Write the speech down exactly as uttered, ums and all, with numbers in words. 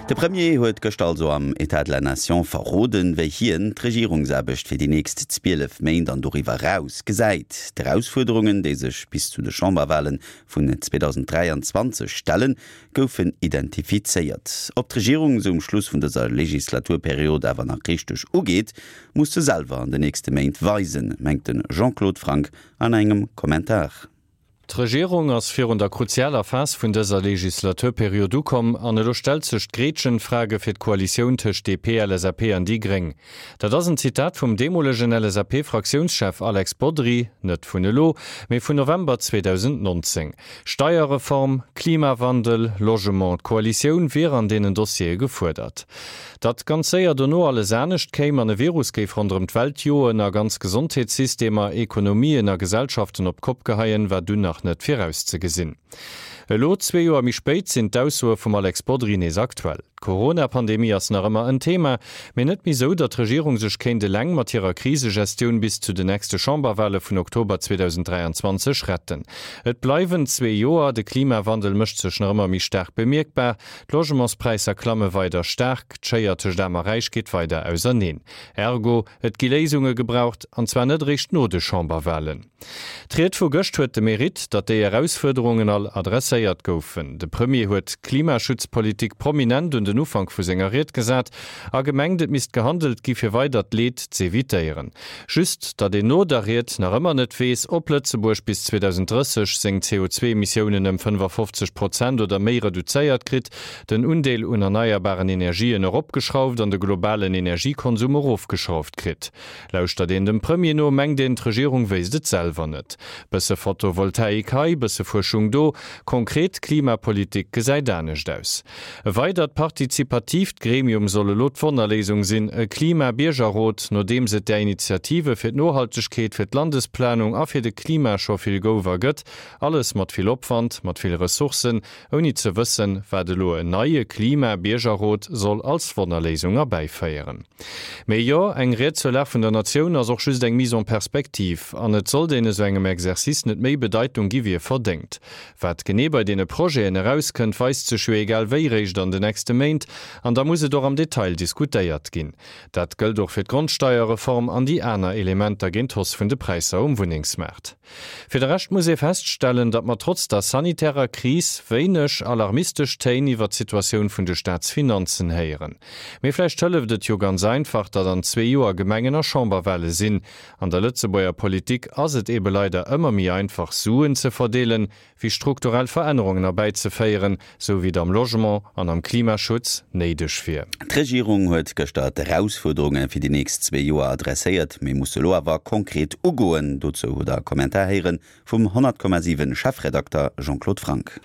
De Premier huet gëschter also am État de la Nation verroden, wéi hien d'Regierungsaarbecht fir déi nächst zwielef Méint an doriwwer eraus gesäit. D'Erausfuerderungen, déi sech bis zu de Chamberwale vun zweedausenddräianzwanzeg stellen, goufen identifizéiert. Ob d'Regierung se um Schluss vun dëser Legislaturperiod awer nach richteg ugeet, muss se selwer an den nächste Méint weisen, mengt de Jean-Claude Franck an engem Kommentar. D'Regierung ass virun der kruzialer Phas vun dëser Legislaturperiod ukomm an elo stellt sech d'Gretchenfrage fir d'Koalitioun tëscht D P, L S A P an déi Gréng. Dat ass en Zitat vum deemolegen L S A P-Fraktiounschef Alex Bodry, net vun elo, mee vun November zweedausendnonzéng. Steierreform, Klimawandel, Logement, d'Koalitioun wier an deenen Dossiere gefuerdert. Datt ganz séier dono alles anescht kéim an e Virus géif ronderëm d'Welt joen a ganz Gesondheetssystemer, Ekonomien a Gesellschaften op d'Kopp geheien, war dunn nach net virauszegesinn. Elo zwee Joer méi spéit sinn d'Aussoe vum Alex Bodry nees aktuell. D'Corona-Pandemie ass nach ëmmer en Thema, mee net méi sou, datt d'Regierung sech kéint eleng mat hirer Krisegestioun bis zu den nächste Chamberwale vun Oktober zweedausenddräianzwanzeg retten. Et bleiwen zwee Joer, de Klimawandel mécht sech nach ëmmer méi staark bemierkbar, d'Logementspräisser klamme weider staark, d'Schéier tëscht Aarm a Räich geet weider auserneen. Ergo, et gi Léisunge gebraucht, an zwar net eréischt no de Chamberwalen. D'Ried vu gëscht huet de Meritt, datt déi Erausfuerderungen all adresséiert goufen. De Premier huet d'Klimaschutzpolitik prominent un den Ufank vu senger Ried gesat a gemengt, et misst gehandelt gi fir weidert Leed z'evitéieren. Just, datt een no der Ried nach ëmmer net weess, ob Lëtzebuerg bis zweedausenddrësseg seng C O zwee Emissiounen ëm fënnefafofzeg Prozent oder méi reduzéiert kritt, den Undeel un erneierbaren Energien eropgeschrauft an de globalen Energiekonsum erofgeschrauft kritt. Lauschtert een dem Premier no, mengt een, d'Regierung wéisst et selwer net. Bësse Photovoltaik hei, bësse Fuerschung do, konkret Klimapolitik gesäit anescht aus. E weidert partizipatiivt Gremium soll elo d'Wonnerléisung sinn, e Klima-Biergerrot, nodeems et där Initiative fir d'Nohaltegkeet, fir d'Landesplanung a fir de Klima scho vill gouf a gëtt, alles mat vill Opwand, mat vill Ressourcen, ouni ze wëssen, wat elo en neie Klima-Biergerrot soll als Wonnerléisung erbäiféieren. Mee jo, eng Ried zur Lag vun der Natioun ass och just eng Mise en perspective, an et sollt een esou engem Exercice net méi Bedeitung gi wéi e verdéngt. Wat genee bei deene Projeten erauskënnt, weist sech jo egal wéi réischt an den nächste Méint, an da muss et och am Detail diskutéiert ginn. Dat gëllt och fir d'Grondsteierreform an déi aner Elementer géint d'Hausse vun de Präisser um Wunnengsmaart. Fir de Rescht muss ee feststellen, datt mer trotz der sanitärer Kris wéineg alarmistesch Téin iwwer d'Situatioun vun de Staatsfinanzen héieren. Mee vläicht hëlleft et jo ganz einfach, datt an zwee Joer Gemengen a Chamberwale sinn. An der Lëtzebuerger Politik ass et ebe leider ëmmer méi einfach Suen ze verdeelen, wéi strukturell Verännerungen erbäizeféieren, sou wéi et am Logement an am Klimaschutz néideg wier. D'Regierung huet gëschter d'Erausfuerderunge fir déi nächst zwee Joer adresséiert, mee muss elo awer konkret ugoen. Dozou hutt der Kommentar héiere vum honnert Komma siwen Chefredakter Jean-Claude Franck.